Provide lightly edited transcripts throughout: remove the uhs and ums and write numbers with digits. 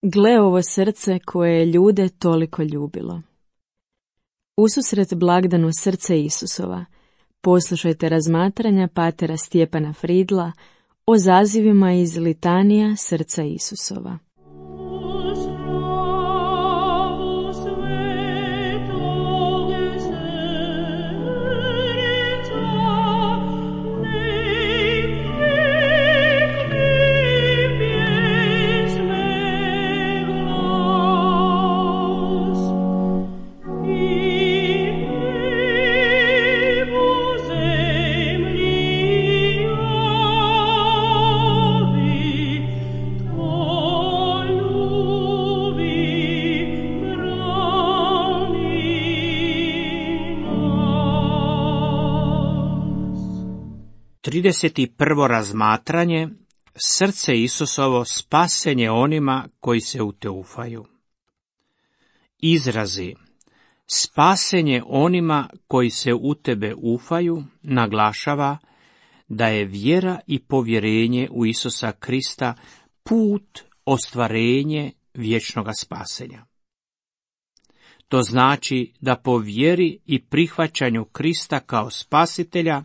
Gle ovo srce koje je ljude toliko ljubilo. Ususret blagdanu srce Isusova, poslušajte razmatranja patera Stjepana Fridla o zazivima iz litanija srca Isusova. Trideset prvo razmatranje, srce Isusovo, spasenje onima koji se u te ufaju. Izrazi spasenje onima koji se u tebe ufaju naglašava da je vjera i povjerenje u Isusa Krista put ostvarenje vječnoga spasenja. To znači da po vjeri i prihvaćanju Krista kao spasitelja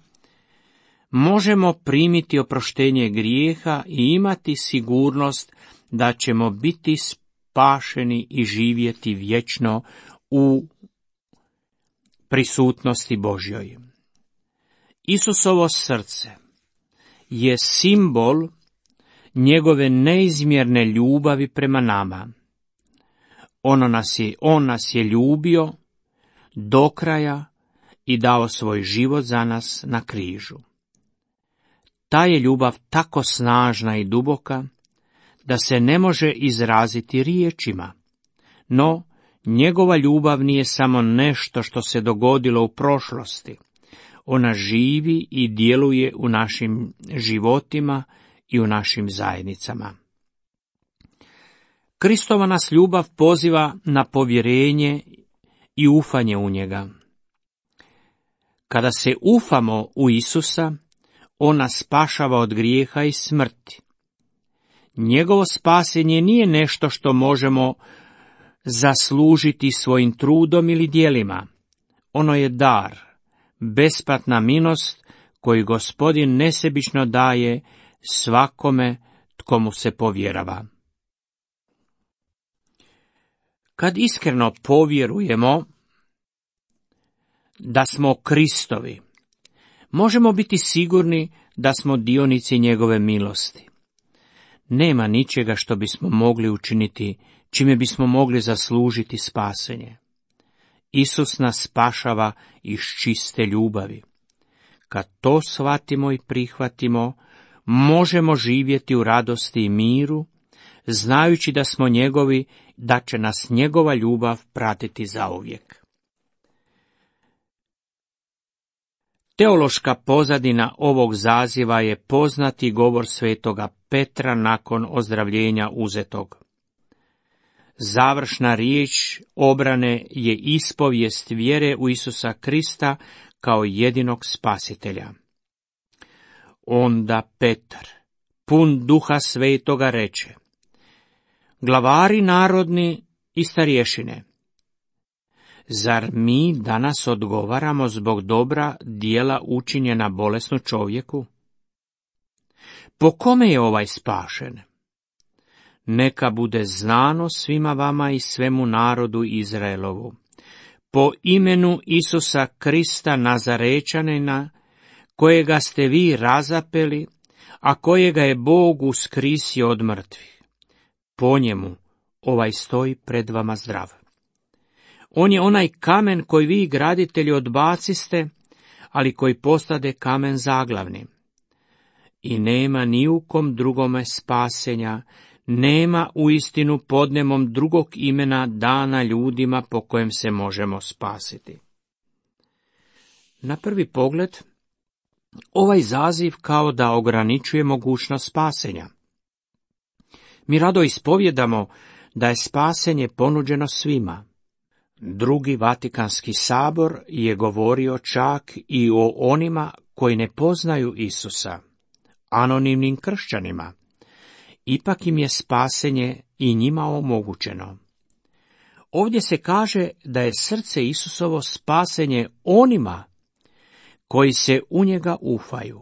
možemo primiti oproštenje grijeha i imati sigurnost da ćemo biti spašeni i živjeti vječno u prisutnosti Božjoj. Isusovo srce je simbol njegove neizmjerne ljubavi prema nama. On nas je ljubio do kraja i dao svoj život za nas na križu. Ta je ljubav tako snažna i duboka da se ne može izraziti riječima, no njegova ljubav nije samo nešto što se dogodilo u prošlosti. Ona živi i djeluje u našim životima i u našim zajednicama. Kristova nas ljubav poziva na povjerenje i ufanje u njega. Kada se ufamo u Isusa, on nas spašava od grijeha i smrti. Njegovo spasenje nije nešto što možemo zaslužiti svojim trudom ili djelima. Ono je dar, besplatna milost koju Gospodin nesebično daje svakome tko mu se povjerava. Kad iskreno povjerujemo da smo Kristovi, možemo biti sigurni da smo dionici njegove milosti. Nema ničega što bismo mogli učiniti, čime bismo mogli zaslužiti spasenje. Isus nas spašava iz čiste ljubavi. Kad to shvatimo i prihvatimo, možemo živjeti u radosti i miru, znajući da smo njegovi, da će nas njegova ljubav pratiti zauvijek. Teološka pozadina ovog zaziva je poznati govor svetoga Petra nakon ozdravljenja uzetog. Završna riječ obrane je ispovijest vjere u Isusa Krista kao jedinog spasitelja. Onda Petar, pun duha svetoga, reče: Glavari narodni i starješine, zar mi danas odgovaramo zbog dobra djela učinjena bolesnu čovjeku? Po kome je ovaj spašen? Neka bude znano svima vama i svemu narodu Izraelovu. Po imenu Isusa Krista Nazarečanina, kojega ste vi razapeli, a kojega je Bog uskrisio od mrtvih. Po njemu ovaj stoji pred vama zdrav. On je onaj kamen koji vi, graditelji, odbaciste, ali koji postade kamen zaglavni. I nema ni u kom drugome spasenja, nema uistinu pod nebom drugog imena dana ljudima po kojem se možemo spasiti. Na prvi pogled, ovaj zaziv kao da ograničuje mogućnost spasenja. Mi rado ispovjedamo da je spasenje ponuđeno svima. Drugi Vatikanski sabor je govorio čak i o onima koji ne poznaju Isusa, anonimnim kršćanima, ipak im je spasenje i njima omogućeno. Ovdje se kaže da je srce Isusovo spasenje onima koji se u njega ufaju.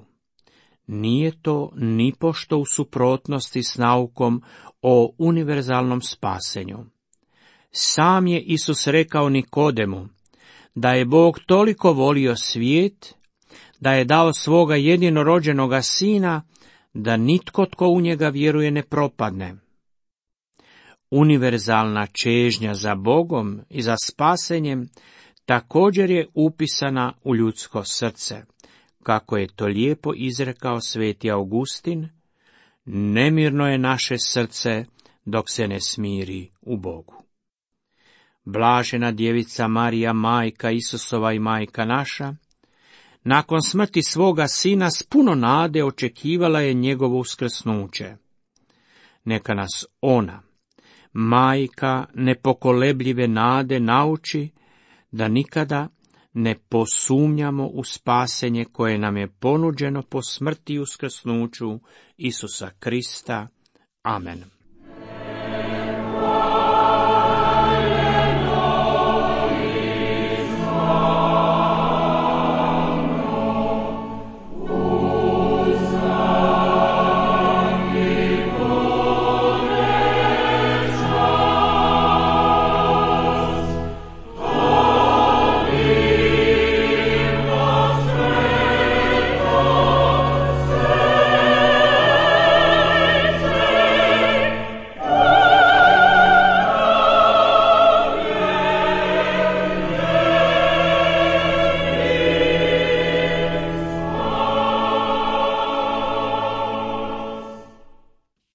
Nije to nipošto u suprotnosti s naukom o univerzalnom spasenju. Sam je Isus rekao Nikodemu da je Bog toliko volio svijet, da je dao svoga jedinorođenoga sina, da nitko tko u njega vjeruje ne propadne. Univerzalna čežnja za Bogom i za spasenjem također je upisana u ljudsko srce. Kako je to lijepo izrekao sveti Augustin, nemirno je naše srce dok se ne smiri u Bogu. Blažena djevica Marija, majka Isusova i majka naša, nakon smrti svoga sina s puno nade očekivala je njegovo uskrsnuće. Neka nas ona, majka nepokolebljive nade, nauči da nikada ne posumnjamo u spasenje koje nam je ponuđeno po smrti i uskrsnuću Isusa Krista. Amen.